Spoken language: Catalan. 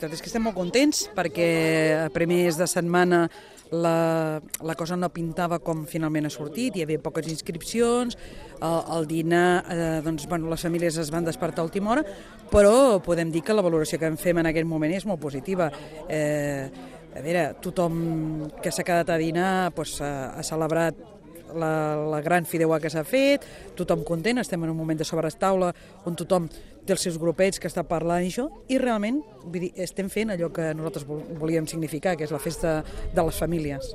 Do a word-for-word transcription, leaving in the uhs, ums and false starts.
Tot és que estem molt contents perquè a primers de setmana la, la cosa no pintava com finalment ha sortit, hi havia poques inscripcions, el, el dinar, eh, doncs, bueno, les famílies es van despertar a última hora, però podem dir que la valoració que en fem en aquest moment és molt positiva. Eh, a veure, tothom que s'ha quedat a dinar doncs, ha, ha celebrat La, la gran fideuà que s'ha fet, tothom content, estem en un moment de sobrestaula on tothom té els seus grupets que està parlant i això, i realment vull dir, estem fent allò que nosaltres volíem significar, que és la festa de les famílies.